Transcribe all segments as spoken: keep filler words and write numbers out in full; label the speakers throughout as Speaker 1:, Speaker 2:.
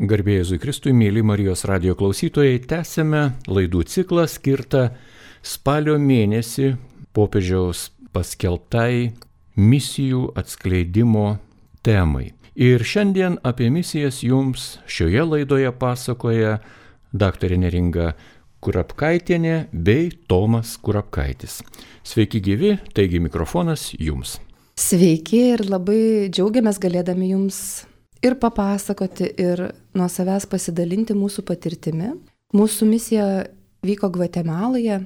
Speaker 1: Garbė Jėzui Kristui, mėly Marijos radijo klausytojai, tęsime laidų ciklą skirtą spalio mėnesį popiežiaus paskelbtai misijų atskleidimo temai. Ir šiandien apie misijas jums šioje laidoje pasakoja daktarė Neringa Kurapkaitienė bei Tomas Kurapkaitis. Sveiki gyvi, taigi mikrofonas jums.
Speaker 2: Sveiki ir labai džiaugiamės galėdami jums ir papasakoti, ir nuo savęs pasidalinti mūsų patirtimi. Mūsų misija vyko Gvatemaloje,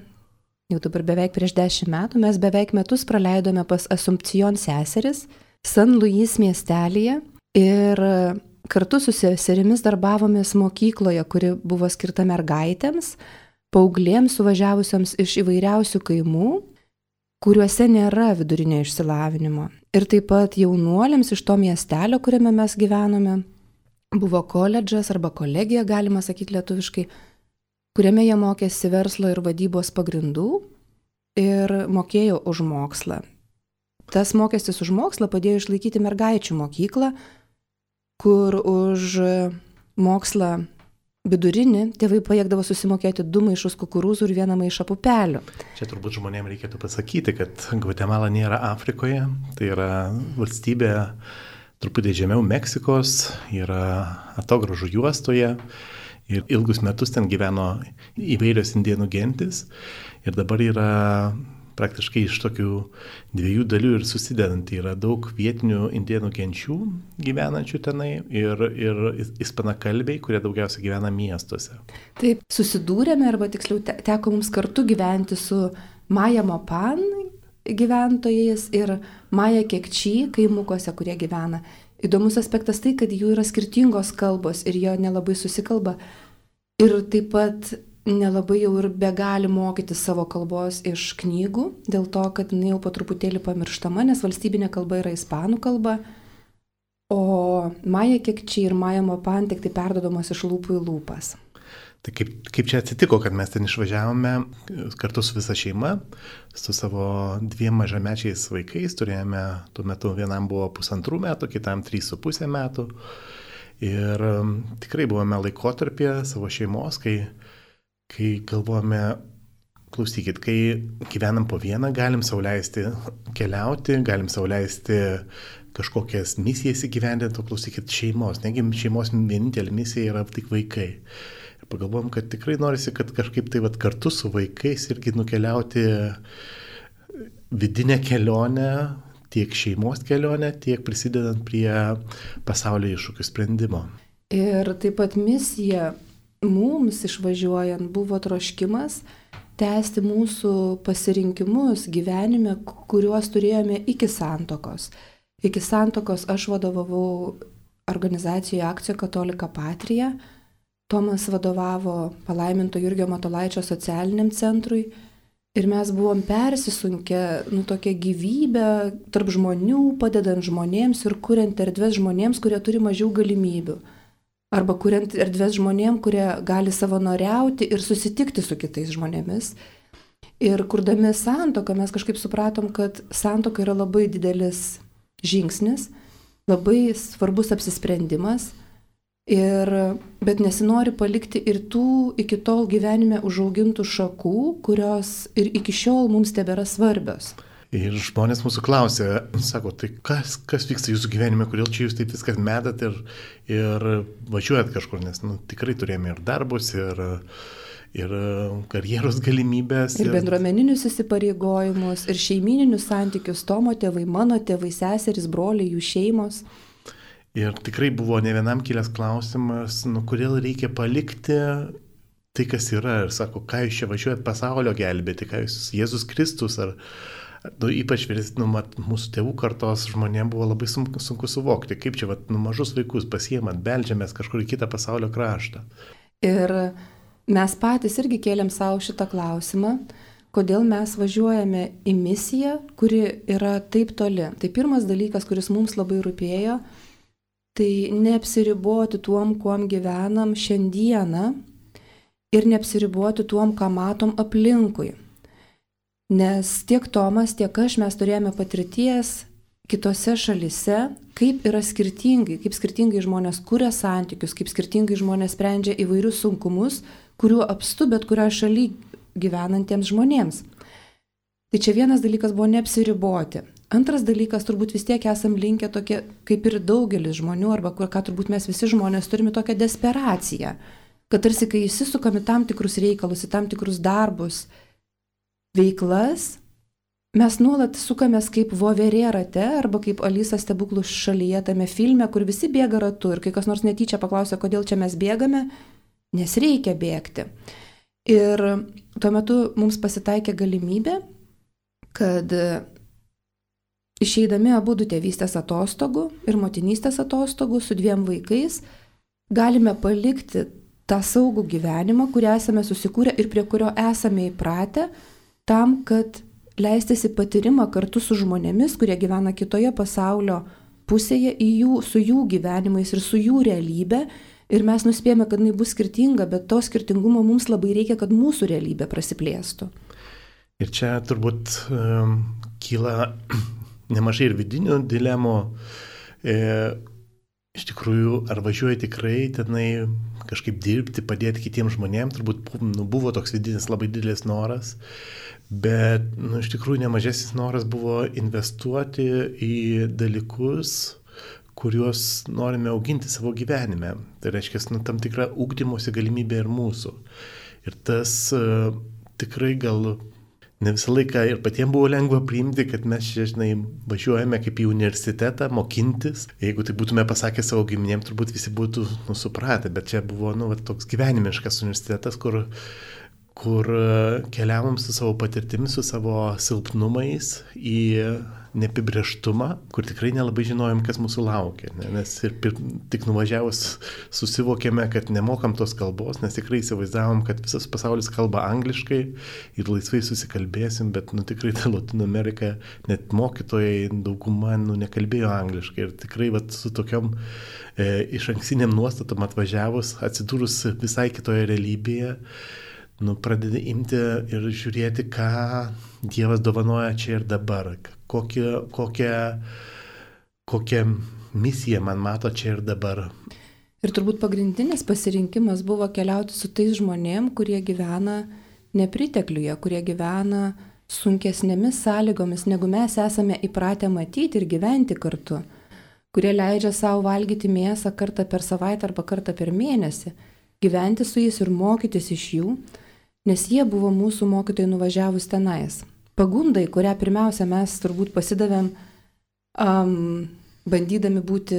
Speaker 2: jau dabar beveik prieš dešimt metų. Mes beveik metus praleidome pas Asumpcijon seseris San Luis miestelyje ir kartu su seserimis darbavomės mokykloje, kuri buvo skirta mergaitėms, paauglėms suvažiavusioms iš įvairiausių kaimų, kuriuose nėra vidurinio išsilavinimo. Ir taip pat jaunuoliams iš to miestelio, kuriame mes gyvenome, buvo koledžas arba kolegija, galima sakyti lietuviškai, kuriame jie mokėsi verslo ir vadybos pagrindų ir mokėjo už mokslą. Tas mokestis už mokslą padėjo išlaikyti mergaičių mokyklą, kur už mokslą vidurinį tėvai pajėgdavo susimokėti du maišus kukurūzų ir vieną maišą pupelių.
Speaker 3: Čia turbūt žmonėms reikėtų pasakyti, kad Gvatemala nėra Afrikoje, tai yra valstybė truputį žemiau Meksikos, yra atogrąžų juostoje ir ilgus metus ten gyveno įvairios indėnų gentis ir dabar yra praktiškai iš tokių dviejų dalių ir susidedanti. Yra daug vietinių indėnų genčių gyvenančių tenai ir, ir ispanakalbiai, kurie daugiausia gyvena miestuose.
Speaker 2: Taip, susidūrėme, arba tiksliau teko mums kartu gyventi su Maja Mopan gyventojais ir Maja Kekči kaimukuose, kurie gyvena. Įdomus aspektas tai, kad jų yra skirtingos kalbos ir jie nelabai susikalba. Ir taip pat nelabai jau ir begali mokyti savo kalbos iš knygų, dėl to, kad jinai jau po truputėlį pamirštama, nes valstybinė kalba yra ispanų kalba, o Maja Kekči ir Maja Mopan tik tai perdodamos iš lūpų į lūpas.
Speaker 3: Tai kaip, kaip čia atsitiko, kad mes ten išvažiavome kartu su visa šeima, su savo dviem mažamečiais vaikais, turėjome, tuo metu vienam buvo pusantrų metų, kitam trys su pusė metų ir tikrai buvome laikotarpyje savo šeimos, kai Kai galvojame, klausykit, kai gyvenam po vieną, galim sau leisti keliauti, galim sau leisti kažkokias misijas įgyvendinti, o klausykit šeimos, negi šeimos vienintelė misija yra tik vaikai. Ir pagalvojom, kad tikrai norisi, kad kažkaip tai vat, kartu su vaikais irgi nukeliauti vidinę kelionę, tiek šeimos kelionę, tiek prisidedant prie pasaulio iššūkių sprendimo.
Speaker 2: Ir taip pat misija mums išvažiuojant buvo troškimas tęsti mūsų pasirinkimus gyvenime, kuriuos turėjome iki santuokos. Iki santuokos aš vadovavau organizacijoje Akcija Katolika Patrija, Tomas vadovavo Palaiminto Jurgio Matulaičio socialiniam centrui ir mes buvom persisunkę, nu, tokią gyvybę tarp žmonių, padedant žmonėms ir kuriant erdves žmonėms, kurie turi mažiau galimybių. Arba kuriant erdves žmonėms, kurie gali savanoriauti ir susitikti su kitais žmonėmis. Ir kurdami santuoką mes kažkaip supratom, kad santuoka yra labai didelis žingsnis, labai svarbus apsisprendimas, ir, bet nesinori palikti ir tų iki tol gyvenime užaugintų šakų, kurios ir iki šiol mums tebėra svarbios.
Speaker 3: Ir žmonės mūsų klausė, sako, tai kas, kas vyksta jūsų gyvenime, kodėl čia jūs taip viskas metat ir, ir važiuojat kažkur, nes nu, tikrai turėjome ir darbus, ir, ir karjeros galimybės.
Speaker 2: Ir, ir bendruomeninius įsipareigojimus, ir šeimininius santykius, Tomo tėvai, mano tėvai, seserys, broliai, jų šeimos.
Speaker 3: Ir tikrai buvo ne vienam kilęs klausimas, nu, kodėl reikia palikti tai, kas yra. Ir sako, ką jūs čia važiuojat pasaulio gelbėti, ką jūs Jėzus Kristus ar... Nu, ypač nu, mat, mūsų tėvų kartos žmonėms buvo labai sunku, sunku suvokti, kaip čia vat, nu, mažus vaikus pasiemant, beldžiamės kažkur į kitą pasaulio kraštą.
Speaker 2: Ir mes patys irgi kėlėm savo šitą klausimą, kodėl mes važiuojame į misiją, kuri yra taip toli. Tai pirmas dalykas, kuris mums labai rūpėjo, tai neapsiriboti tuom, kuom gyvenam šiandieną ir neapsiriboti tuom, ką matom aplinkui. Nes tiek Tomas, tiek aš mes turėjome patirties kitose šalise, kaip yra skirtingai, kaip skirtingai žmonės kuria santykius, kaip skirtingai žmonės sprendžia įvairius sunkumus, kuriuo apstu bet kurioje šalyje gyvenantiems žmonėms. Tai čia vienas dalykas buvo neapsiriboti. Antras dalykas, turbūt vis tiek esam linkę tokie, kaip ir daugelis žmonių, arba ką turbūt mes visi žmonės turime tokią desperaciją, kad tarsi kai įsisukame tam tikrus reikalus, į tam tikrus darbus, veiklas, mes nuolat sukamės kaip voverė rate, arba kaip Alisa stebuklų šalyje tame filme, kur visi bėga ratu ir kai kas nors netyčia paklausia, kodėl čia mes bėgame, nes reikia bėgti. Ir tuo metu mums pasitaikė galimybė, kad išeidami abu du tėvystės atostogų ir motinystės atostogų su dviem vaikais, galime palikti tą saugų gyvenimą, kurį esame susikūrę ir prie kurio esame įpratę, tam, kad leistis į patyrimą kartu su žmonėmis, kurie gyvena kitoje pasaulio pusėje, į jų, su jų gyvenimais ir su jų realybė. Ir mes nuspėjame, kad jinai bus skirtinga, bet to skirtingumo mums labai reikia, kad mūsų realybė prasiplėstų.
Speaker 3: Ir čia turbūt um, kyla nemažai ir vidinių dilemų. E, iš tikrųjų, ar važiuoji tikrai tenai kažkaip dirbti, padėti kitiems žmonėms, turbūt nu, buvo toks vidinis labai didelis noras, bet nu, iš tikrųjų nemažesnis noras buvo investuoti į dalykus, kuriuos norime auginti savo gyvenime. Tai reiškia, nu, tam tikra ugdymosi galimybė ir mūsų. Ir tas uh, tikrai gal ne visą laiką ir patiems buvo lengva priimti, kad mes čia, žinai, važiuojame kaip į universitetą mokintis. Jeigu tai būtume pasakę savo giminėms, turbūt visi būtų nu, supratę, bet čia buvo nu, va, toks gyvenimiškas universitetas, kur, kur keliavom su savo patirtimis, su savo silpnumais į neapibrėžtumą, kur tikrai nelabai žinojom, kas mūsų laukia. Ne? Nes ir pir, tik nuvažiavus susivokėme, kad nemokam tos kalbos, nes tikrai įsivaizdavom, kad visas pasaulis kalba angliškai ir laisvai susikalbėsim, bet nu, tikrai ta Latino Amerika, net mokytojai dauguma nu, nekalbėjo angliškai. Ir tikrai vat, su tokiom e, iš anksiniam nuostatom atvažiavus, atsidūrus visai kitoje realybėje, nu, pradedi imti ir žiūrėti, ką Dievas dovanoja čia ir dabar, kokią, kokią, kokią misiją man mato čia ir dabar.
Speaker 2: Ir turbūt pagrindinis pasirinkimas buvo keliauti su tais žmonėm, kurie gyvena nepritekliuje, kurie gyvena sunkesnėmis sąlygomis, negu mes esame įpratę matyti ir gyventi kartu, kurie leidžia savo valgyti mėsą kartą per savaitę arba kartą per mėnesį, gyventi su jais ir mokytis iš jų, nes jie buvo mūsų mokytojai nuvažiavus tenais. Pagundai, kurią pirmiausia mes turbūt pasidavėm, um, bandydami būti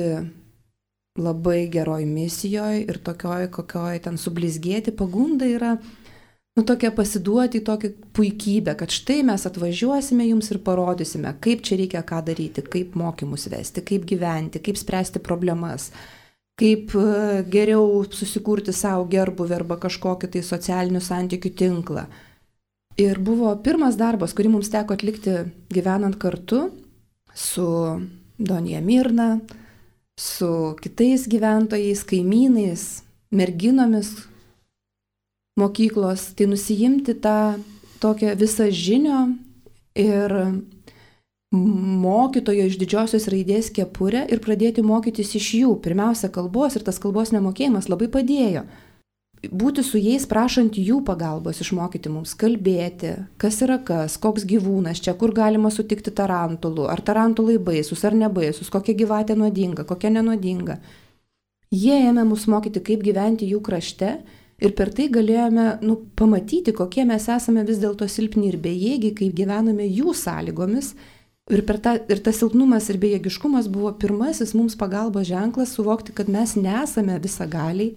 Speaker 2: labai geroj misijoje ir tokioj, kokioj ten sublizgėti, pagunda yra nu, tokia pasiduoti į tokią puikybę, kad štai mes atvažiuosime jums ir parodysime, kaip čia reikia ką daryti, kaip mokymus vesti, kaip gyventi, kaip spręsti problemas, kaip geriau susikurti savo gerbuvį arba kažkokį tai socialinių santykių tinklą. Ir buvo pirmas darbas, kurį mums teko atlikti gyvenant kartu su Donja Mirna, su kitais gyventojais, kaimynais, merginomis mokyklos, tai nusijimti tą tokią visą žinią ir mokytojo iš didžiosios raidės kepurę ir pradėti mokytis iš jų. Pirmiausia, kalbos ir tas kalbos nemokėjimas labai padėjo. Būti su jais, prašant jų pagalbos, išmokyti mums kalbėti, kas yra kas, koks gyvūnas čia, kur galima sutikti tarantulų, ar tarantulai baisus ar nebaisus, kokia gyvatė nuodinga, kokia nenuodinga. Jie ėmė mus mokyti, kaip gyventi jų krašte ir per tai galėjome nu, pamatyti, kokie mes esame vis dėlto silpni ir bejėgiai, kaip gyvename jų sąlygomis. Ir, per ta, ir tas silpnumas ir bejėgiškumas buvo pirmasis mums pagalbos ženklas suvokti, kad mes nesame visagaliai,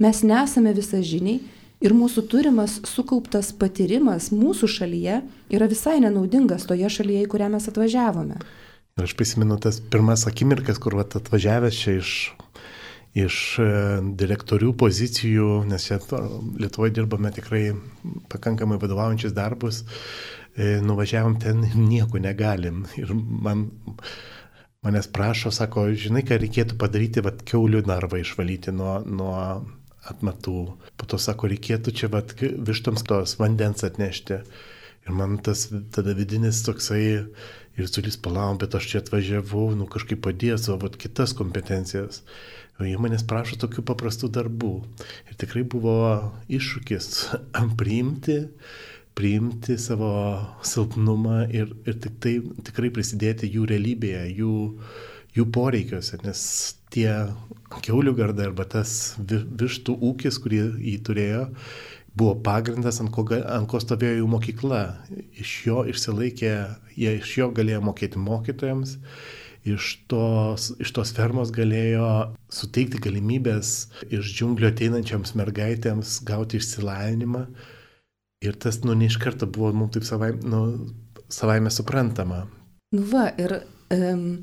Speaker 2: mes nesame visažiniai ir mūsų turimas sukauptas patyrimas mūsų šalyje yra visai nenaudingas toje šalyje, į kurią mes atvažiavome.
Speaker 3: Ir aš prisimenu tas pirmas akimirkas, kur vat, atvažiavęs čia iš, iš direktorių pozicijų, nes čia Lietuvoje dirbame tikrai pakankamai vadovaujančius darbus, nuvažiavom ten ir nieko negalim. Ir man, manęs prašo, sako, žinai, ką reikėtų padaryti, vat, kiaulių narvą išvalyti nuo, nuo atmatų. Po to sako, reikėtų čia vat, vištoms tos vandens atnešti. Ir man tas tada vidinis toksai Ir Zulys palauk, bet aš čia atvažiavau, nu kažkaip padėjo savo vat, kitas kompetencijas. O jie manęs prašo tokių paprastų darbų. Ir tikrai buvo iššūkis priimti, priimti savo silpnumą ir, ir tik tai, tikrai prisidėti jų realybėje, jų, jų poreikiuose, nes tie kiaulių gardai arba tas vištų ūkis, kurį jį turėjo, buvo pagrindas, ant ko, ant ko stovėjo jų mokykla. Iš jo išsilaikė, jie iš jo galėjo mokėti mokytojams, iš tos, iš tos fermos galėjo suteikti galimybės iš džiunglių ateinančiams mergaitėms gauti išsilavinimą. Ir tas, nu, ne iš karto buvo mums taip savai, nu, savaime suprantama.
Speaker 2: Nu va, ir um,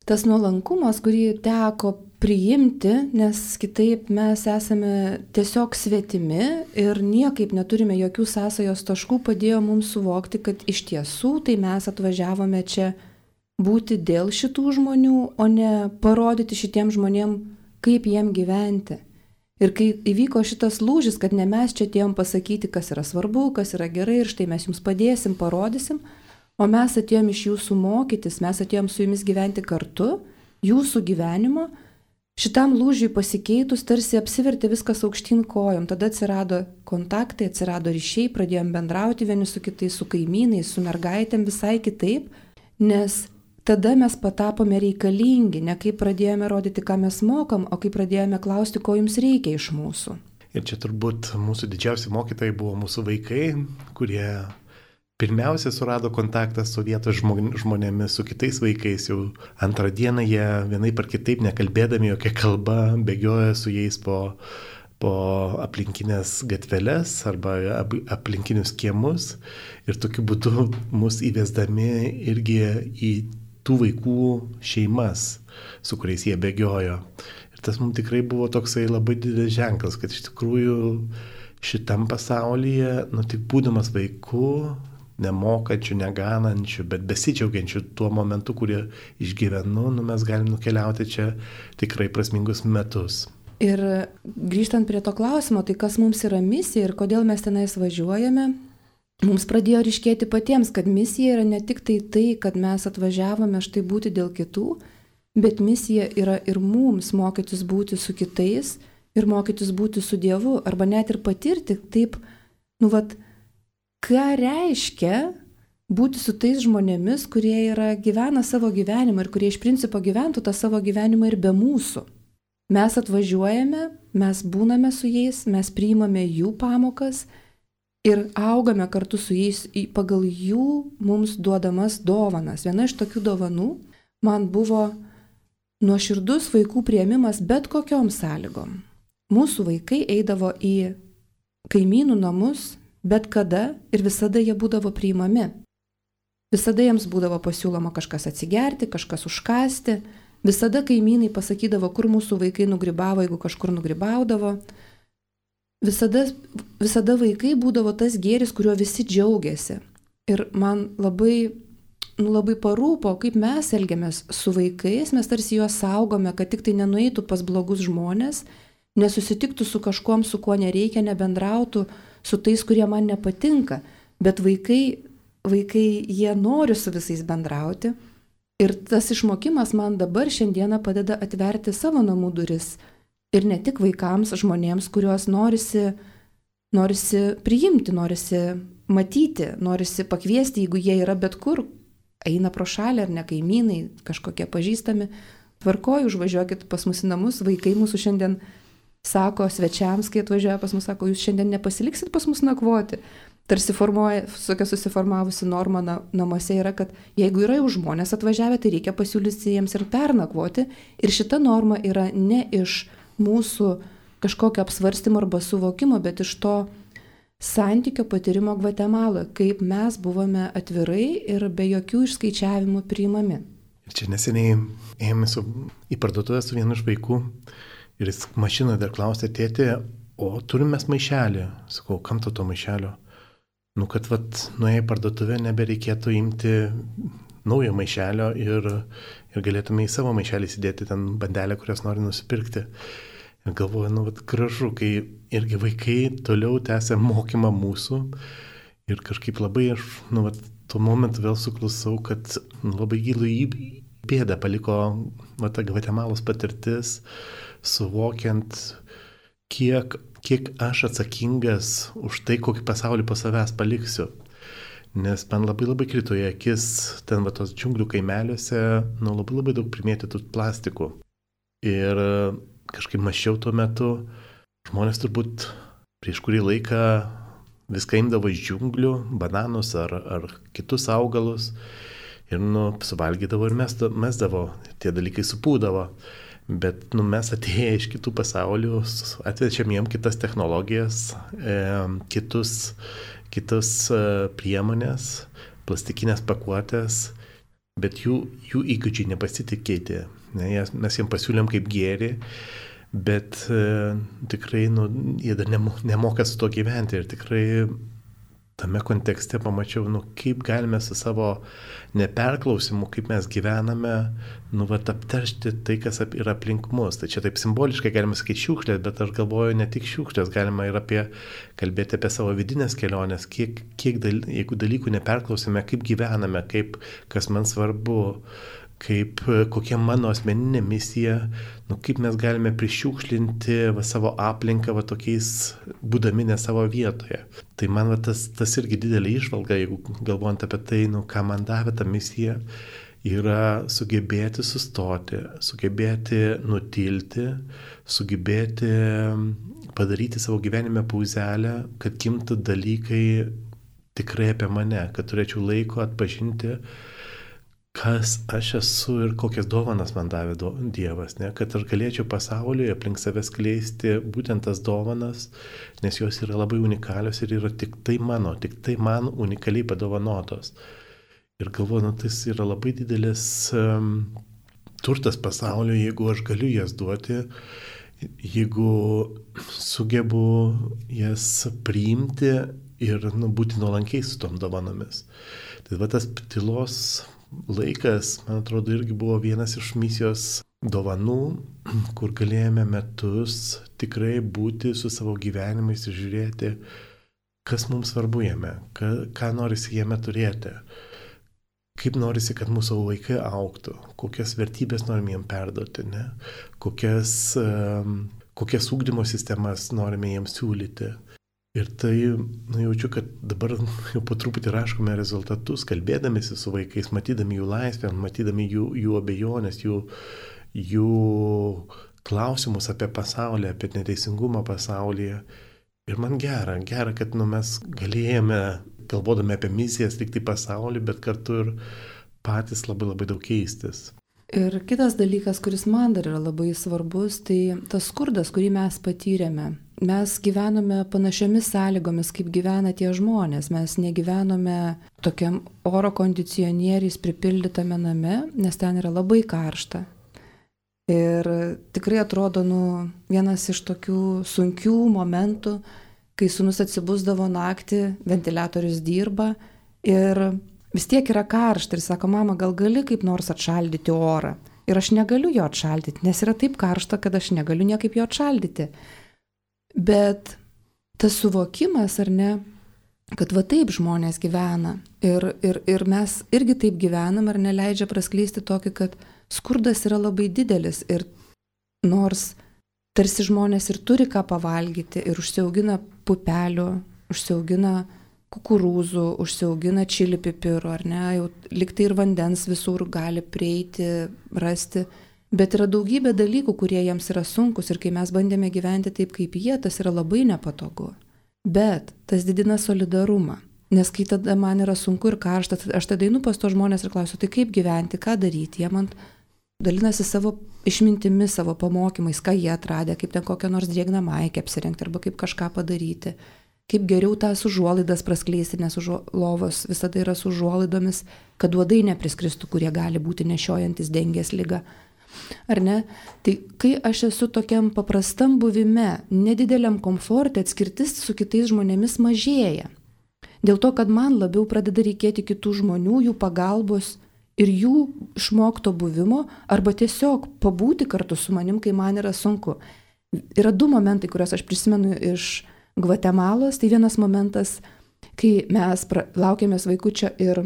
Speaker 2: tas nuolankumas, kurį teko priimti, nes kitaip mes esame tiesiog svetimi ir niekaip neturime jokių sąsajos taškų, padėjo mums suvokti, kad iš tiesų tai mes atvažiavome čia būti dėl šitų žmonių, o ne parodyti šitiem žmonėm, kaip jiem gyventi. Ir kai įvyko šitas lūžis, kad ne mes čia atėjom pasakyti, kas yra svarbu, kas yra gerai ir štai mes jums padėsim, parodysim, o mes atėjom iš jūsų mokytis, mes atėjom su jumis gyventi kartu, jūsų gyvenimo. Šitam lūžiui pasikeitus tarsi apsivertė viskas aukštyn kojom, tada atsirado kontaktai, atsirado ryšiai, pradėjom bendrauti vieni su kitais, su kaimynais, su mergaitėm visai kitaip, nes tada mes patapome reikalingi, ne kaip pradėjome rodyti, ką mes mokam, o kaip pradėjome klausti, ko jums reikia iš mūsų.
Speaker 3: Ir čia turbūt mūsų didžiausi mokytojai buvo mūsų vaikai, kurie pirmiausia surado kontaktą su vietos žmonėmis, su kitais vaikais. Jau antrą dieną jie vienaip ar kitaip, nekalbėdami jokia kalba, bėgioja su jais po, po aplinkinės gatveles arba aplinkinius kiemus. Ir tokiu būdu mus įvesdami irgi į tų vaikų šeimas, su kuriais jie bėgiojo. Ir tas mums tikrai buvo toksai labai didelis ženklas, kad iš tikrųjų šitam pasaulyje, nu tik būdamas vaiku, nemokančių, neganančių, bet besidžiaugiančių tuo momentu, kurį išgyvenu, nu, mes galim nukeliauti čia tikrai prasmingus metus.
Speaker 2: Ir grįžtant prie to klausimo, tai kas mums yra misija ir kodėl mes tenais važiuojame, mums pradėjo ryškėti patiems, kad misija yra ne tik tai tai, kad mes atvažiavome štai būti dėl kitų, bet misija yra ir mums mokytis būti su kitais ir mokytis būti su Dievu, arba net ir patirti taip, nu vat, ką reiškia būti su tais žmonėmis, kurie yra, gyvena savo gyvenimą ir kurie iš principo gyventų tą savo gyvenimą ir be mūsų. Mes atvažiuojame, mes būname su jais, mes priimame jų pamokas ir augame kartu su jais pagal jų mums duodamas dovanas. Viena iš tokių dovanų man buvo nuoširdus vaikų priėmimas bet kokiom sąlygom. Mūsų vaikai eidavo į kaimynų namus, bet kada ir visada jie būdavo priimami. Visada jiems būdavo pasiūloma kažkas atsigerti, kažkas užkasti. Visada kaimynai pasakydavo, kur mūsų vaikai nugribavo, jeigu kažkur nugribaudavo. Visada, visada vaikai būdavo tas gėris, kuriuo visi džiaugiasi. Ir man labai, nu, labai parūpo, kaip mes elgiamės su vaikais, mes tarsi juos saugome, kad tik tai nenueitų pas blogus žmonės, nesusitiktų su kažkuom, su kuo nereikia, nebendrautų su tais, kurie man nepatinka, bet vaikai, vaikai jie nori su visais bendrauti ir tas išmokimas man dabar šiandieną padeda atverti savo namų duris ir ne tik vaikams, žmonėms, kuriuos norisi, norisi priimti, norisi matyti, norisi pakviesti, jeigu jie yra bet kur, eina pro šalį ar ne kaimynai, kažkokie pažįstami, tvarkoju, užvažiuokit pas mus į namus, vaikai mūsų šiandien sako svečiams, kai atvažiuoja pas mus, sako, jūs šiandien nepasiliksit pas mus nakvoti. Tarsi formuoja, tokia susiformavusi norma na, namuose yra, kad jeigu yra jau žmonės atvažiavę, tai reikia pasiūlyti jiems ir pernakvoti. Ir šita norma yra ne iš mūsų kažkokio apsvarstymo arba suvokimo, bet iš to santykio patyrimo Gvatemaloje, kaip mes buvome atvirai ir be jokių išskaičiavimų priimami.
Speaker 3: Ir čia neseniai ėjome su, į parduotuvę su vienu iš vaikų. Ir jis mašinoje dar klausė, tėtė, o turim mes maišelį. Sakau, kam to to maišelio? Nu, kad vat, nuėję į parduotuvę nebereikėtų imti naujo maišelio ir, ir galėtume į savo maišelį įsidėti ten bandelę, kurios nori nusipirkti. Ir galvoju, nu, vat, gražu, kai irgi vaikai toliau tęsia mokymą mūsų ir kažkaip labai aš, nu, vat, tuo momentu vėl suklusau, kad labai gilų bėdą paliko va, ta Gvatemalos patirtis, suvokiant, kiek, kiek aš atsakingas už tai, kokį pasaulį po savęs paliksiu. Nes man labai labai krito į akis ten va tos džiunglių kaimeliuose, nu labai labai daug primėtytų plastikų. Ir kažkaip mąsčiau tuo metu, žmonės turbūt prieš kurį laiką viską imdavo iš džiunglių, bananus ar, ar kitus augalus ir nu, suvalgydavo ir mesdavo, tie dalykai supūdavo. Bet nu, mes atėję iš kitų pasaulių atvečiam jiem kitas technologijas, e, kitus, kitus e, priemonės, plastikinės pakuotės, bet jų, jų įgūdžiai nepasitikėti. Ne, mes jiems pasiūlėm kaip gėrį, bet e, tikrai nu, jie dar nemoka su to gyventi ir tikrai tame kontekste pamačiau, nu, kaip galime su savo neperklausimu, kaip mes gyvename, nu, vat, apteršti tai, kas yra aplink mus. Tai čia taip simboliškai galima sakyti šiukšlės, bet aš galvoju ne tik šiukšlės, galima ir apie, kalbėti apie savo vidinės kelionės, kiek, kiek dal, jeigu dalykų neperklausime, kaip gyvename, kaip, kas man svarbu, kaip, kokia mano asmeninė misija, nu, kaip mes galime prišiukšlinti va, savo aplinką va, tokiais, būdami ne savo vietoje. Tai man va, tas, tas irgi didelė išvalga, jeigu galvojant apie tai, nu, ką man davė ta misija, yra sugebėti sustoti, sugebėti nutilti, sugebėti padaryti savo gyvenime pauzelę, kad gimtų dalykai tikrai apie mane, kad turėčiau laiko atpažinti, kas aš esu ir kokias dovanas man davė do, Dievas, ne? Kad aš galėčiau pasaulyje aplink save skleisti būtent tas dovanas, nes jos yra labai unikalios ir yra tik tai mano, tik tai man unikaliai padovanotos. Ir galvoju, nu, tai yra labai didelis um, turtas pasaulio, jeigu aš galiu jas duoti, jeigu sugebu jas priimti ir nu, būti nuolankiai su tom dovanomis. Tai va tas tylos laikas, man atrodo, irgi buvo vienas iš misijos dovanų, kur galėjome metus tikrai būti su savo gyvenimais ir žiūrėti, kas mums svarbu jame, ką, ką norisi jame turėti, kaip norisi, kad mūsų vaikai augtų, kokias vertybės norim jiem perduoti, ne? kokias, um, kokias ugdymo sistemas norime jiems siūlyti. Ir tai, nu, jaučiu, kad dabar jau po truputį raškome rezultatus, kalbėdamėsi su vaikais, matydami jų laisvę, matydami jų, jų abejonės, jų, jų klausimus apie pasaulį, apie neteisingumą pasaulyje. Ir man gera, gera, kad nu, mes galėjome, galvodami apie misijas, likti pasaulį, bet kartu ir patys labai labai daug keistis.
Speaker 2: Ir kitas dalykas, kuris man dar yra labai svarbus, tai tas skurdas, kurį mes patyrėme. Mes gyvenome panašiomis sąlygomis, kaip gyvena tie žmonės. Mes negyvenome tokiam oro kondicionieriais pripildytame name, nes ten yra labai karšta. Ir tikrai atrodo, nu, vienas iš tokių sunkių momentų, kai sūnus atsibusdavo naktį, ventiliatorius dirba ir vis tiek yra karšta ir sako, mama, gal gali kaip nors atšaldyti orą. Ir aš negaliu jo atšaldyti, nes yra taip karšta, kad aš negaliu niekaip jo atšaldyti. Bet tas suvokimas, ar ne, kad va taip žmonės gyvena ir, ir, ir mes irgi taip gyvenam, ar neleidžia praskleisti tokį, kad skurdas yra labai didelis ir nors tarsi žmonės ir turi ką pavalgyti ir užsiaugina pupelių, užsiaugina kukurūzų, užsiaugina čili pipirų, ar ne, jau liktai ir vandens visur gali prieiti, rasti. Bet yra daugybė dalykų, kurie jiems yra sunkus ir kai mes bandėme gyventi taip kaip jie, tas yra labai nepatogu. Bet tas didina solidarumą, nes kai tada man yra sunku ir karšta, aš tada einu pas to žmonės ir klausiu, tai kaip gyventi, ką daryti, jie man dalinasi savo išmintimis, savo pamokymais, ką jie atradė, kaip ten kokią nors drėgną maikę apsirengti arba kaip kažką padaryti, kaip geriau tas užuolaidas praskleisti, nes lovos visada yra su užuolaidomis, kad uodai nepriskristų, kurie gali būti nešiojantis dengės ligą. Ar ne? Tai kai aš esu tokiam paprastam buvime, nedideliam komforte, atskirtis su kitais žmonėmis mažėja. Dėl to, kad man labiau pradeda reikėti kitų žmonių, jų pagalbos ir jų išmokto buvimo, arba tiesiog pabūti kartu su manim, kai man yra sunku. Yra du momentai, kuriuos aš prisimenu iš Gvatemalos. Tai vienas momentas, kai mes pra, laukėmės vaikučio ir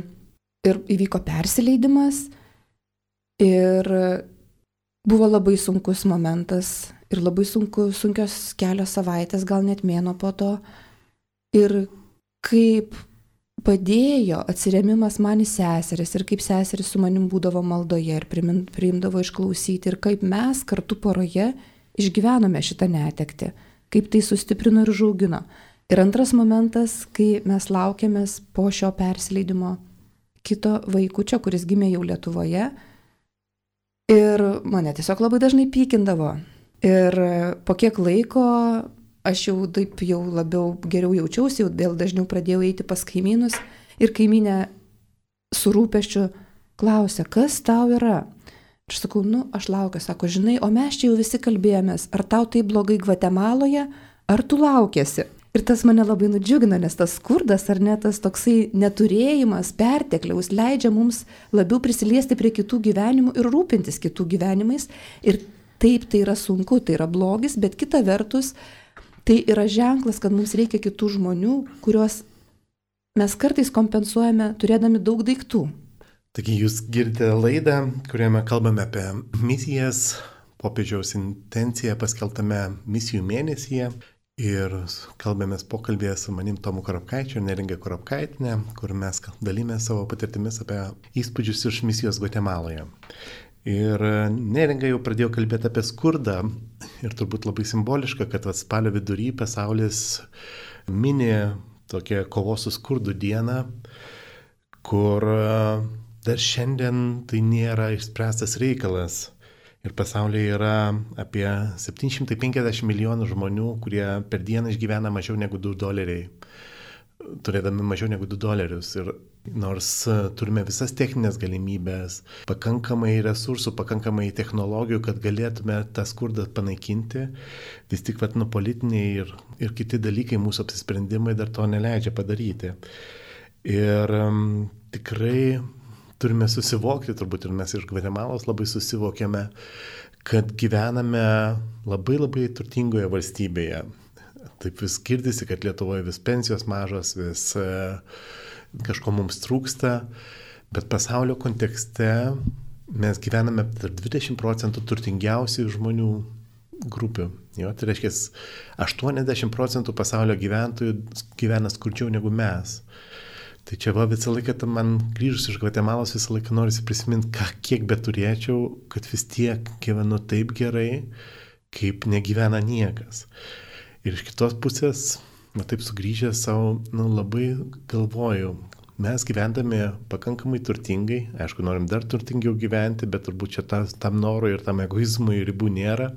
Speaker 2: ir įvyko persileidimas ir buvo labai sunkus momentas ir labai sunku, sunkios kelios savaitės, gal net mėnuo po to. Ir kaip padėjo atsiremimas man į seseris ir kaip seseris su manim būdavo maldoje ir priimdavo išklausyti ir kaip mes kartu poroje išgyvenome šitą netektį, kaip tai sustiprino ir užaugino. Ir antras momentas, kai mes laukiamės po šio persileidimo kito vaikučio, kuris gimė jau Lietuvoje. Ir mane tiesiog labai dažnai pykindavo. Ir po kiek laiko aš jau taip jau labiau geriau jaučiausi, jau vėl dažniau pradėjau eiti pas kaimynus. Ir kaimynė su rūpesčiu klausė, kas tau yra? Aš sakau, nu, aš laukiu, sako, žinai, o mes čia jau visi kalbėjomės, ar tau tai blogai Gvatemaloje, ar tu laukiesi? Ir tas mane labai nudžiugina, nes tas skurdas ar ne tas toksai neturėjimas, pertekliaus leidžia mums labiau prisiliesti prie kitų gyvenimų ir rūpintis kitų gyvenimais. Ir taip tai yra sunku, tai yra blogis, bet kita vertus tai yra ženklas, kad mums reikia kitų žmonių, kuriuos mes kartais kompensuojame turėdami daug daiktų.
Speaker 3: Taigi jūs girdite laidą, kurioje kalbame apie misijas, popiežiaus intenciją paskelbtame misijų mėnesyje. Ir kalbėmės pokalbėje su manim Tomu Korapkaičiu ir Neringa Korapkaitinė, kur mes dalymės savo patirtimis apie įspūdžius iš misijos Gvatemaloje. Ir Neringa jau pradėjo kalbėti apie skurdą ir turbūt labai simboliška, kad spalio vidury pasaulis mini tokią kovos su skurdu dieną, kur dar šiandien tai nėra išspręstas reikalas. Ir pasaulyje yra apie septyni šimtai penkiasdešimt milijonų žmonių, kurie per dieną išgyvena mažiau negu du doleriai, turėdami mažiau negu du dolerius. Ir nors turime visas techninės galimybės, pakankamai resursų, pakankamai technologijų, kad galėtume tą skurdą panaikinti, vis tik vat, nu, politiniai ir, ir kiti dalykai, mūsų apsisprendimai dar to neleidžia padaryti. Ir um, tikrai turime susivokti, turbūt ir mes iš Gvatemalos labai susivokėme, kad gyvename labai labai turtingoje valstybėje. Taip vis girdisi, kad Lietuvoje vis pensijos mažos, vis e, kažko mums trūksta, bet pasaulio kontekste mes gyvename tarp dvidešimt procentų turtingiausių žmonių grupių. Jo, tai reiškia, aštuoniasdešimt procentų pasaulio gyventojų gyvena skurdžiau negu mes. Tai čia va visą laiką, man grįžus iš Gvatemalos visą laiką norisi prisiminti, ką, kiek beturėčiau, kad vis tiek gyvenu taip gerai, kaip negyvena niekas. Ir iš kitos pusės, na taip sugrįžęs savo, nu, labai galvoju, mes gyvendami pakankamai turtingai, aišku, norim dar turtingiau gyventi, bet turbūt čia tas, tam norui ir tam egoizmui ribų nėra.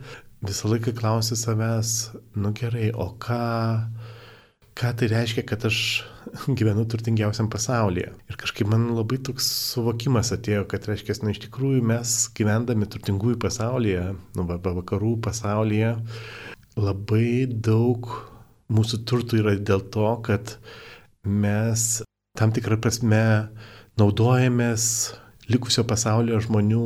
Speaker 3: Visą laiką klausiu savęs, nu gerai, o ką... ką tai reiškia, kad aš gyvenu turtingiausiam pasaulyje. Ir kažkaip man labai toks suvokimas atėjo, kad reiškia, nu, iš tikrųjų mes gyvendami turtingųjų pasaulyje, nu, vakarų pasaulyje, labai daug mūsų turtų yra dėl to, kad mes tam tikrą prasme naudojamės likusio pasaulio žmonių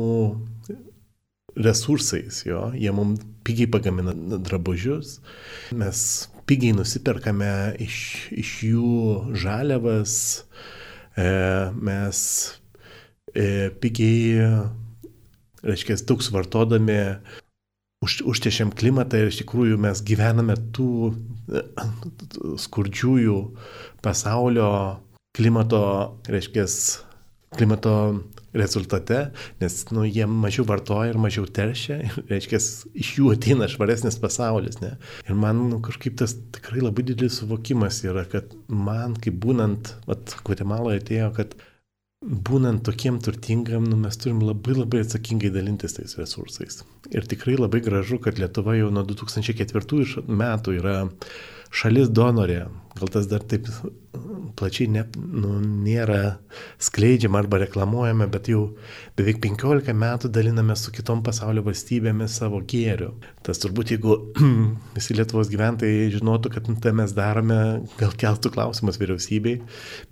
Speaker 3: resursais, jo, jie mums pigiai pagamina drabužius, mes pigiai nusiperkame iš, iš jų žaliavas, e, mes e, pigiai, reiškia, daug suvartodami, už, užtešiam klimatą ir iš tikrųjų mes gyvename tų skurdžiųjų pasaulio klimato, reiškia, klimato rezultate, nes nu, jie mažiau vartoja ir mažiau teršia, ir, reiškia, iš jų ateina švaresnis pasaulis. Ne? Ir man nu, kažkaip tas tikrai labai didelis suvokimas yra, kad man, kaip būnant, vat, Gvatemaloje atėjo, kad būnant tokiem turtingam, nu, mes turim labai labai atsakingai dalintis tais resursais. Ir tikrai labai gražu, kad Lietuva jau nuo du tūkstančiai ketvirtųjų metų yra šalis donorė. Gal tas dar taip plačiai ne, nu, nėra skleidžiama arba reklamuojama, bet jau beveik penkiolika metų daliname su kitom pasaulio valstybėmis savo gėriu. Tas turbūt, jeigu visi Lietuvos gyventojai žinotų, kad tai mes darome, gal keltų klausimus vyriausybei,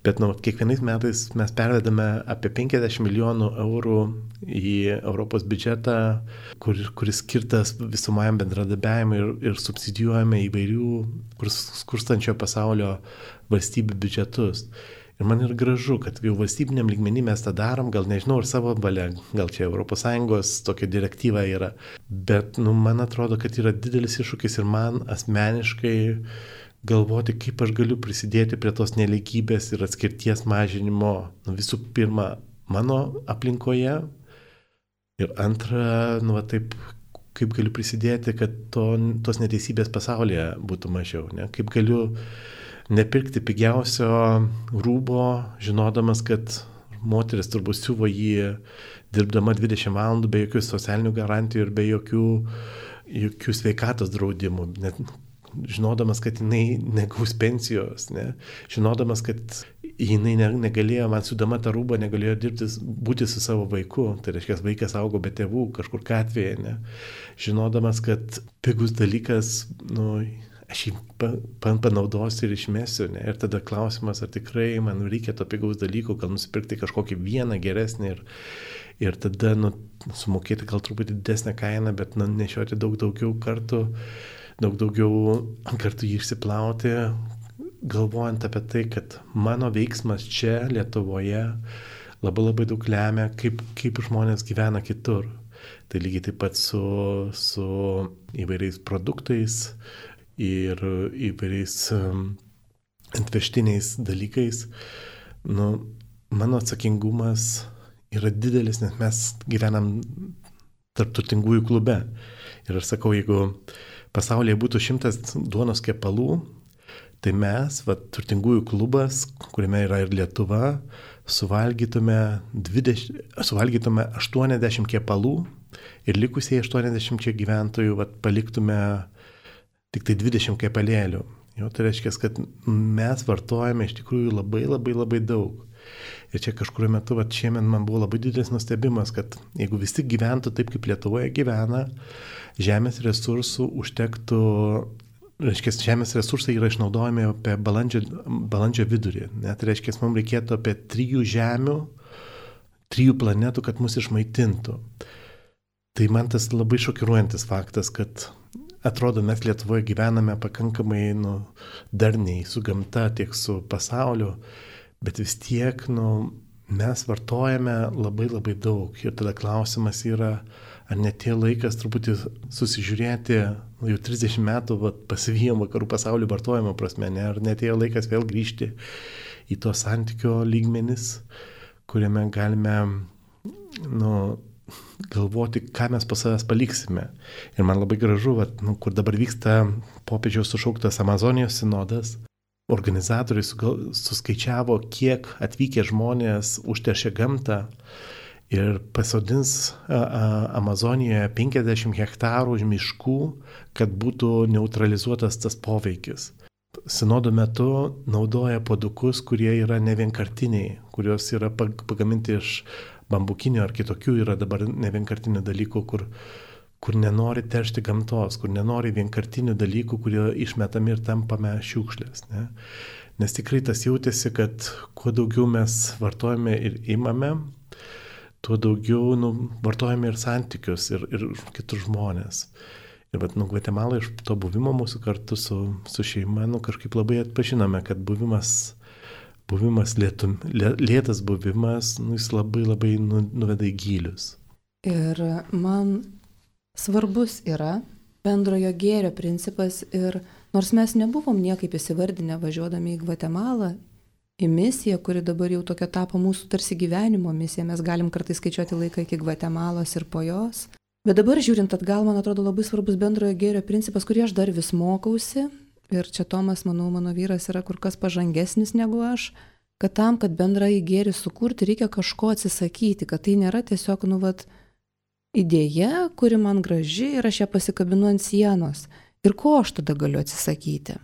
Speaker 3: bet nu, kiekvienais metais mes pervedame apie penkiasdešimt milijonų eurų į Europos biudžetą, kur, kuris skirtas visumajam bendradarbiavimui ir, ir subsidijuojame įvairių skurstančio pasaulio valstybių biudžetus. Ir man yra gražu, kad jau valstybiniam lygmenį mes tą darom, gal nežinau, ar savo valia, gal čia Europos Sąjungos tokia direktyva yra, bet nu, man atrodo, kad yra didelis iššūkis ir man asmeniškai galvoti, kaip aš galiu prisidėti prie tos nelygybės ir atskirties mažinimo, nu, visų pirma, mano aplinkoje ir antra, nu, va, taip, kaip galiu prisidėti, kad to, tos neteisybės pasaulyje būtų mažiau, ne? Kaip galiu nepirkti pigiausio rūbo, žinodamas, kad moteris turbūt siuvo jį dirbdama dvidešimt valandų be jokių socialinių garantijų ir be jokių, jokių sveikatos draudimų, net žinodamas, kad jinai negaus pensijos, ne? Žinodamas, kad jinai negalėjo, man siūdama tą rūbą, negalėjo dirbti, būti su savo vaiku, tai reiškia, vaikas augo be tėvų kažkur gatvėje, ne? Žinodamas, kad pigus dalykas, nu, aš jį panaudosiu ir išmesiu, ne? Ir tada klausimas, ar tikrai man reikia to pigaus dalyko, gal nusipirkti kažkokį vieną geresnį ir, ir tada nu, sumokėti gal truputį didesnę kainą, bet nu, nešioti daug daugiau kartų, daug daugiau kartų jį išsiplauti, galvojant apie tai, kad mano veiksmas čia Lietuvoje labai labai daug lemia, kaip, kaip žmonės gyvena kitur. Tai lygiai taip pat su, su įvairiais produktais ir įvairiais um, atvežtiniais dalykais. Nu, mano atsakingumas yra didelis, nes mes gyvenam tarp turtingųjų klube. Ir aš sakau, jeigu pasaulyje būtų šimtas duonos kepalų, tai mes, va, turtingųjų klubas, kuriame yra ir Lietuva, suvalgytume, dvidešimt, suvalgytume aštuoniasdešimt kepalų ir likusiai aštuoniasdešimt gyventojų va, paliktume tik tai dvidešimt kepalėlių. Jo, tai reiškia, kad mes vartojame iš tikrųjų labai labai labai daug. Ir čia kažkurio metu, va, šiemet man buvo labai didelis nustebimas, kad jeigu visi gyventų taip, kaip Lietuvoje gyvena, žemės resursų užtektų, reiškia, žemės resursai yra išnaudojami apie balandžio, balandžio vidurį. Net reiškia, mums reikėtų apie trijų žemių, trijų planetų, kad mus išmaitintų. Tai man tas labai šokiruojantis faktas, kad atrodo, mes Lietuvoje gyvename pakankamai nu, darniai su gamta, tiek su pasauliu, bet vis tiek nu, mes vartojame labai labai daug. Ir tada klausimas yra, ar netėjo laikas truputį susižiūrėti, nu, jau trisdešimt metų va, pasivijom vakarų pasaulio vartojimo prasme, ne? Ar netėjo laikas vėl grįžti į to santykio lygmenis, kuriame galime nu, galvoti, ką mes po savęs paliksime. Ir man labai gražu, va, nu, kur dabar vyksta popiežiaus sušauktas Amazonijos sinodas, organizatoriai suskaičiavo, kiek atvykę žmonės užteršė gamtą ir pasodins Amazonijoje penkiasdešimt hektarų miškų, kad būtų neutralizuotas tas poveikis. Sinodo metu naudoja puodukus, kurie yra nevienkartiniai, kurios yra pagaminti iš bambukinio ar kitokių, yra dabar nevienkartinių dalykų, kur kur nenori teršti gamtos, kur nenori vienkartinių dalykų, kurie išmetami ir tampame šiukšlės. Ne? Nes tikrai tas jautėsi, kad kuo daugiau mes vartojame ir imame, tuo daugiau nu, vartojame ir santykius, ir, ir kitus žmonės. Ir bet, nu, Gvatemala iš to buvimo mūsų kartu su, su šeima, nu, kažkaip labai atpažinome, kad buvimas, buvimas lėtum, lė, lėtas buvimas, nu, jis labai labai nu, nuveda į gylius.
Speaker 2: Ir man svarbus yra bendrojo gėrio principas ir nors mes nebuvom niekaip įsivardinę važiuodami į Gvatemalą, į misiją, kuri dabar jau tokia tapo mūsų tarsi gyvenimo misija, mes galim kartais skaičiuoti laiką iki Gvatemalos ir po jos. Bet dabar žiūrint atgal, man atrodo labai svarbus bendrojo gėrio principas, kurį aš dar vis mokausi ir čia Tomas, manau, mano vyras yra kur kas pažangesnis negu aš, kad tam, kad bendrąjį gėrį sukurti, reikia kažko atsisakyti, kad tai nėra tiesiog, nu, vat, idėja, kuri man graži ir aš ją pasikabinu ant sienos. Ir ko aš tada galiu atsisakyti?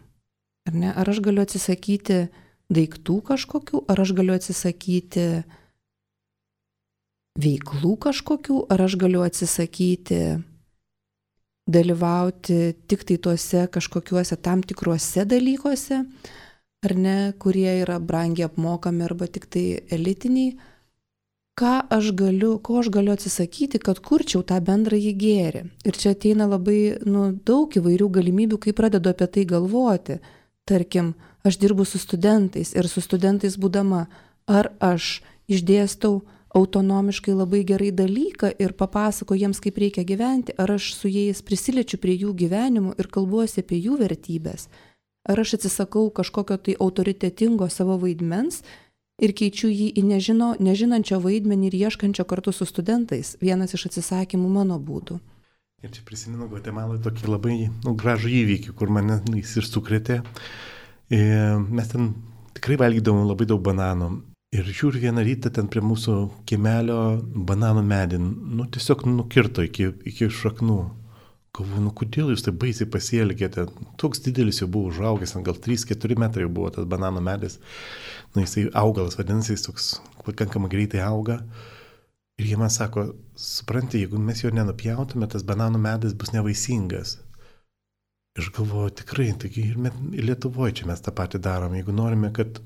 Speaker 2: Ar ne? Ar aš galiu atsisakyti daiktų kažkokių, ar aš galiu atsisakyti veiklų kažkokių, ar aš galiu atsisakyti dalyvauti tik tai tuose kažkokiuose tam tikruose dalykuose, ar ne, kurie yra brangiai apmokami arba tik tai elitiniai. Ką aš galiu, ko aš galiu atsisakyti, kad kurčiau tą bendrąjį gėrį. Ir čia ateina labai nu, daug įvairių galimybių, kai pradedu apie tai galvoti. tarkim, aš dirbu su studentais ir su studentais būdama, ar aš išdėstau autonomiškai labai gerai dalyką ir papasakoju jiems, kaip reikia gyventi, ar aš su jais prisiliečiu prie jų gyvenimų ir kalbuosi apie jų vertybės, ar aš atsisakau kažkokio tai autoritetingo savo vaidmens ir keičiu jį į nežino, nežinančio vaidmenį ir ieškančio kartu su studentais. Vienas iš atsisakymų mano būtų.
Speaker 3: Ir čia prisimenu Gvatemaloje tokį labai nu, gražų įvykį, kur mane nu, jis ir sukrėtė. E, mes ten tikrai valgydavom labai daug bananų. Ir žiūriu vieną rytą ten prie mūsų kiemelio bananų medį, nu tiesiog nukirto iki, iki šaknų. Galvoju, nu kodėl jūs taip baisiai pasielgėte? Toks didelis jau buvo užaugęs, gal trys keturi metrai jau buvo tas bananų medis. Nu jisai augalas, vadinasi, jis toks pakankamai greitai auga. Ir jie man sako, supranti, jeigu mes jo nenupjautume, tas bananų medis bus nevaisingas. Aš galvoju, tikrai, taigi ir, ir Lietuvoje čia mes tą patį darom. Jeigu norime, kad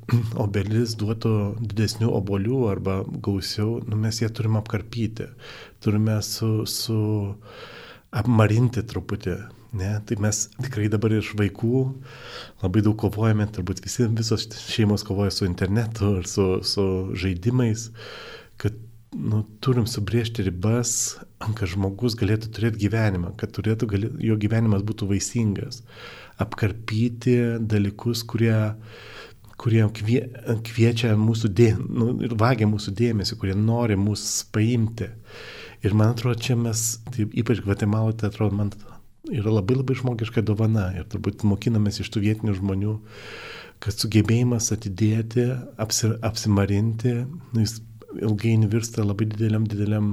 Speaker 3: obelis duotų didesnių obuolių arba gausiau, nu, mes ją turime apkarpyti. Turime su, su apmarinti truputį. Ne? Tai mes tikrai dabar iš vaikų labai daug kovojame, turbūt visi, visos šeimos kovoja su internetu ir su, su žaidimais, kad nu, turim subrėžti ribas, kad žmogus galėtų turėti gyvenimą, kad turėtų, gali, jo gyvenimas būtų vaisingas. Apkarpyti dalykus, kurie, kurie kvie, kviečia mūsų dėmesį, nu, ir vagia mūsų dėmesį, kurie nori mūsų paimti. Ir man atrodo, čia mes, tai ypač Gvatemaloje, tai atrodo, man yra labai labai žmogiška dovana. Ir turbūt mokinamės iš tų vietinių žmonių, kad sugebėjimas atidėti, apsi, apsimarinti, nu, jis ilgainiui virsta labai dideliam, dideliam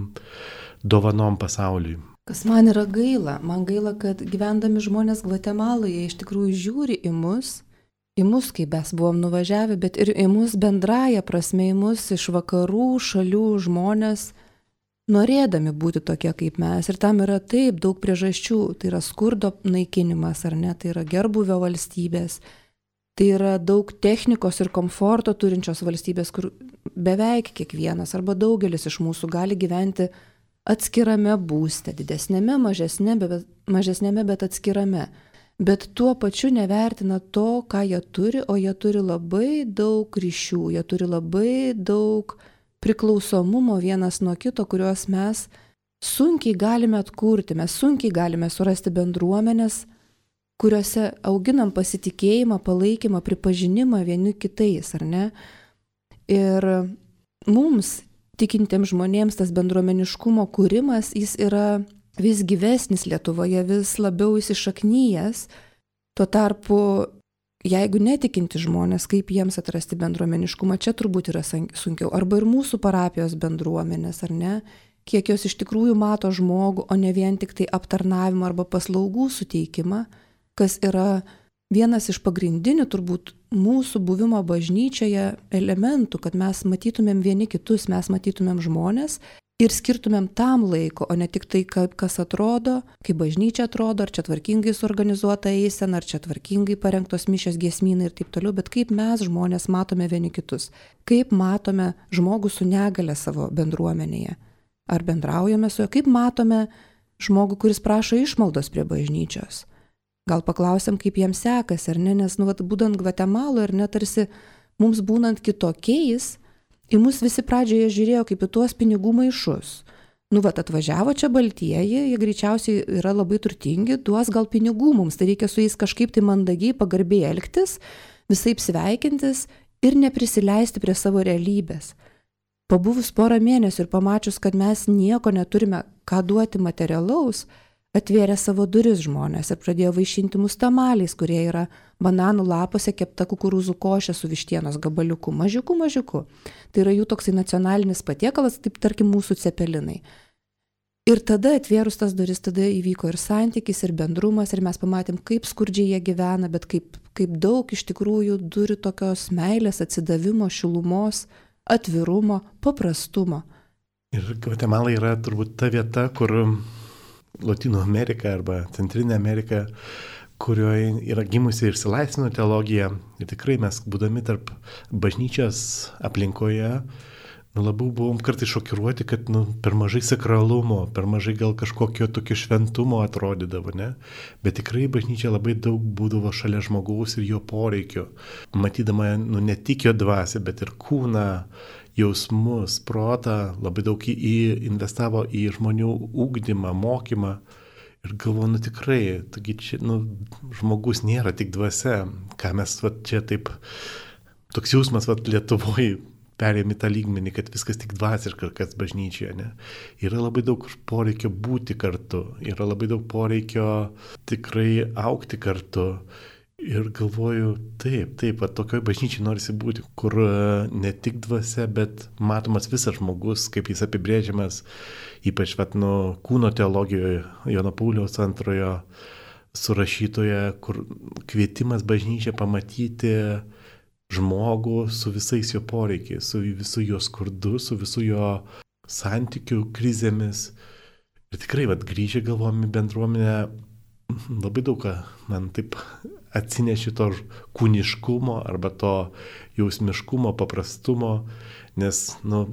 Speaker 3: dovanom pasauliui.
Speaker 2: Kas man yra gaila? Man gaila, kad gyvendami žmonės Gvatemaloje iš tikrųjų žiūri į mus, į mus, kaip mes buvom nuvažiavę, bet ir į mus bendraja prasme, į mus iš vakarų šalių žmonės, norėdami būti tokie kaip mes. Ir tam yra taip daug priežasčių. Tai yra skurdo naikinimas, ar ne? Tai yra gerbūvio valstybės. Tai yra daug technikos ir komforto turinčios valstybės, kur beveik kiekvienas arba daugelis iš mūsų gali gyventi atskirame būste, didesnėme, mažesnėme, bet, mažesnėme, bet atskirame. Bet tuo pačiu nevertina to, ką jie turi, o jie turi labai daug ryšių, jie turi labai daug priklausomumo vienas nuo kito, kuriuos mes sunkiai galime atkurti, mes sunkiai galime surasti bendruomenės, kuriuose auginam pasitikėjimą, palaikymą, pripažinimą vieni kitais, ar ne? Ir mums, tikintiems žmonėms, tas bendruomeniškumo kūrimas, jis yra vis gyvesnis Lietuvoje, vis labiau įsišaknyjęs. Tuo tarpu, jeigu netikinti žmonės, kaip jiems atrasti bendruomeniškumą, čia turbūt yra sunkiau. Arba ir mūsų parapijos bendruomenės, ar ne? Kiek jos iš tikrųjų mato žmogų, o ne vien tik tai aptarnavimą arba paslaugų suteikimą, kas yra vienas iš pagrindinių turbūt mūsų buvimo bažnyčioje elementų, kad mes matytumėm vieni kitus, mes matytumėm žmonės ir skirtumėm tam laiko, o ne tik tai, kaip kas atrodo, kaip bažnyčia atrodo, ar čia tvarkingai suorganizuota eisena, ar čia tvarkingai parengtos mišios, giesmynai ir taip toliau, bet kaip mes žmonės matome vieni kitus, kaip matome žmogų su negale savo bendruomenėje, ar bendraujame su juo, kaip matome žmogų, kuris prašo išmaldos prie bažnyčios. Gal paklausiam, kaip jiems sekasi, ar ne, nes, nu, vat, būdant Gvatemaloje, ar ne, tarsi mums būnant kitokiais, į mus visi pradžioje žiūrėjo kaip į tuos pinigų maišus. Nu, vat, atvažiavo čia baltieji, jie greičiausiai yra labai turtingi, duos gal pinigų mums, tai reikia su jais kažkaip tai mandagiai, pagarbiai elgtis, visaip sveikintis ir neprisileisti prie savo realybės. Pabuvus porą mėnesių ir pamačius, kad mes nieko neturime ką duoti materialaus, atvėrė savo duris žmonės ir pradėjo vaišinti mus tamaliais, kurie yra bananų lapuose kepta kukurūzų košė su vištienos gabaliuku, mažiuku, mažiuku. Tai yra jų toksai nacionalinis patiekalas, taip tarkim mūsų cepelinai. Ir tada atvėrus tas duris, tada įvyko ir santykis, ir bendrumas, ir mes pamatėm, kaip skurdžiai jie gyvena, bet kaip, kaip daug iš tikrųjų turi tokios meilės, atsidavimo, šilumos, atvirumo, paprastumo.
Speaker 3: Ir Gvatemala yra turbūt ta vieta, kur Lotynų Amerika arba Centrinė Amerika, kurioje yra gimusi ir išsilaisvino teologija. Ir tikrai mes, būdami tarp bažnyčios aplinkoje, nu, labiau buvom kartais šokiruoti, kad nu, per mažai sakralumo, per mažai gal kažkokio tokio šventumo atrodydavo, ne? Bet tikrai bažnyčia labai daug būdavo šalia žmogaus ir jo poreikio. Matydama nu, ne tik jo dvasią, bet ir kūną, jausmus, protą, labai daug į, į investavo į žmonių ūkdymą, mokymą. Ir galvoju, nu tikrai, taigi čia nu, žmogus nėra tik dvasia, ką mes va, čia taip, toks jausmas va, Lietuvoje perėmė tą lygmenį, kad viskas tik dvasiška, kas bažnyčioje, ne? Yra labai daug poreikio būti kartu, yra labai daug poreikio tikrai augti kartu. Ir galvoju, taip, taip, va, tokioj bažnyčiai norisi būti, kur ne tik dvasia, bet matomas visas žmogus, kaip jis apibrėžiamas, ypač vat, nu, kūno teologijoje, Jono Pauliaus antrojo surašytoje, kur kvietimas bažnyčią pamatyti žmogų su visais jo poreikiais, su visu jo skurdu, su visu jo santykių krizėmis. Ir tikrai, vat, grįžę galvom į bendruomenę, labai daug ką man taip atsineši to kūniškumo arba to jausmiškumo, paprastumo, nes, nu,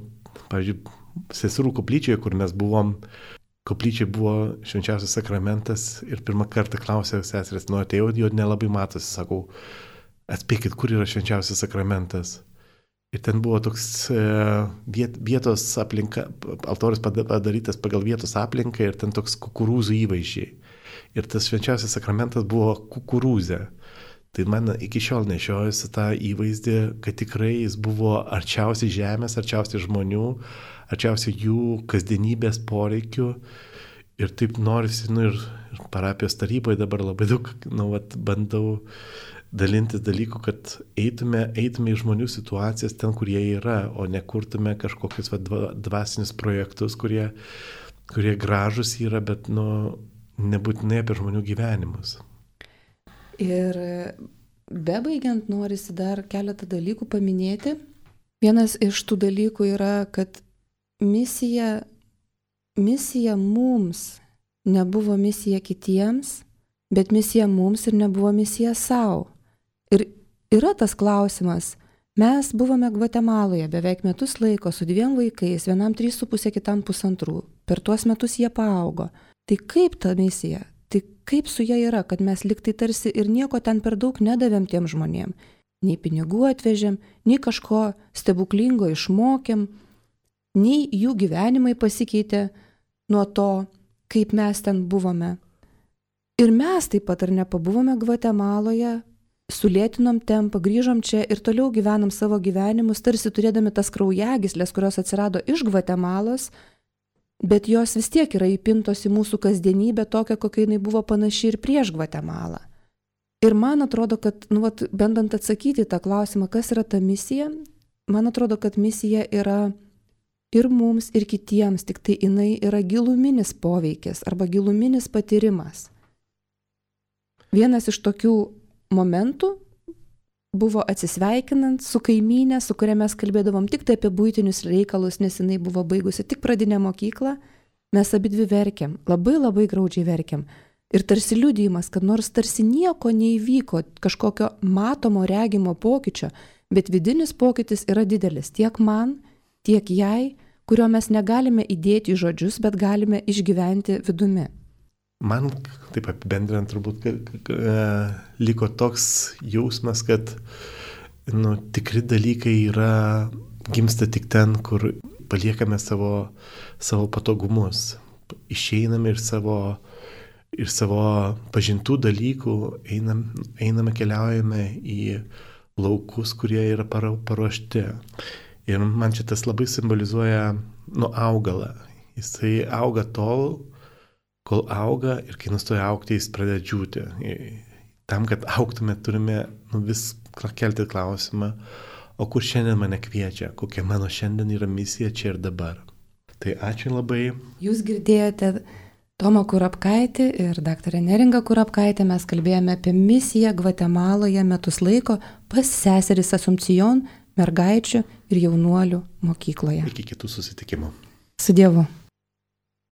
Speaker 3: pavyzdžiui, seserų koplyčioje, kur mes buvom, koplyčioje buvo švenčiausias sakramentas ir pirmą kartą klausė seserės, nu, atėjau, jo nelabai matosi, sakau, atspėkit, kur yra švenčiausias sakramentas. Ir ten buvo toks viet, vietos aplinka, altorius padarytas pagal vietos aplinką ir ten toks kukurūzų įvaizdžiai. Ir tas švenčiausias sakramentas buvo kukurūzė. Tai man iki šiol nešiojasi tą įvaizdį, kad tikrai jis buvo arčiausiai žemės, arčiausiai žmonių, arčiausiai jų kasdienybės poreikių. Ir taip norisi, nu ir, ir parapijos taryboje dabar labai daug, nu, vat, bandau dalintis dalykų, kad eitume, eitume į žmonių situacijas ten, kur jie yra, o nekurtume kažkokius vat, dvasinius projektus, kurie, kurie gražus yra, bet, nu, nebūtinai apie žmonių gyvenimus.
Speaker 2: Ir bebaigiant norisi dar keletą dalykų paminėti. Vienas iš tų dalykų yra, kad misija, misija mums nebuvo misija kitiems, bet misija mums ir nebuvo misija savo. Ir yra tas klausimas. Mes buvome Gvatemaloje beveik metus laiko su dviem vaikais, vienam trys su pusė, kitam pusantrų. Per tuos metus jie paaugo. Tai kaip ta misija? Tai kaip su ja yra, kad mes liktai tarsi ir nieko ten per daug nedavėm tiem žmonėm. Nei pinigų atvežėm, nei kažko stebuklingo išmokėm, nei jų gyvenimai pasikeitė nuo to, kaip mes ten buvome. Ir mes taip pat ar nepabuvome Gvatemaloje, sulėtinom tempą, grįžom čia ir toliau gyvenam savo gyvenimus, tarsi turėdami tas kraujagyslės, kurios atsirado iš Gvatemalos, bet jos vis tiek yra įpintos į mūsų kasdienybę tokią, kokia jinai buvo panaši ir prieš Gvatemalą. Ir man atrodo, kad, nu, vat, bandant atsakyti tą klausimą, kas yra ta misija, man atrodo, kad misija yra ir mums, ir kitiems, tik tai jinai yra giluminis poveikis arba giluminis patyrimas. Vienas iš tokių momentų buvo atsisveikinant su kaimynė, su kuria mes kalbėdavom tik tai apie buitinius reikalus, nes jinai buvo baigusi tik pradinę mokyklą, mes abidvi verkėm, labai labai graudžiai verkėm. Ir tarsi liudijimas, kad nors tarsi nieko neįvyko, kažkokio matomo, regimo pokyčio, bet vidinis pokytis yra didelis tiek man, tiek jai, kurio mes negalime įdėti į žodžius, bet galime išgyventi vidumi.
Speaker 3: Man, taip apibendrinant, turbūt liko toks jausmas, kad nu, tikri dalykai yra, gimsta tik ten, kur paliekame savo, savo patogumus. Išeiname ir savo, ir savo pažintų dalykų, einam, einame, keliaujame į laukus, kurie yra paruošti. Ir man šitas labai simbolizuoja nu, augalą. Jisai auga tol, kol auga ir kai nustoja augti, jis pradeda džiūti. Tam, kad augtume, turime nu, vis kelti klausimą, o kur šiandien mane kviečia, kokia mano šiandien yra misija čia ir dabar. Tai ačiū labai. Jūs
Speaker 2: girdėjote Tomą Kurapkaitį ir daktarę Neringą Kurapkaitę. Mes kalbėjome apie misiją Gvatemaloje metus laiko pas seseris Asumpcijon, mergaičių ir jaunuolių mokykloje.
Speaker 3: Iki kitų susitikimų.
Speaker 2: Su Dievu.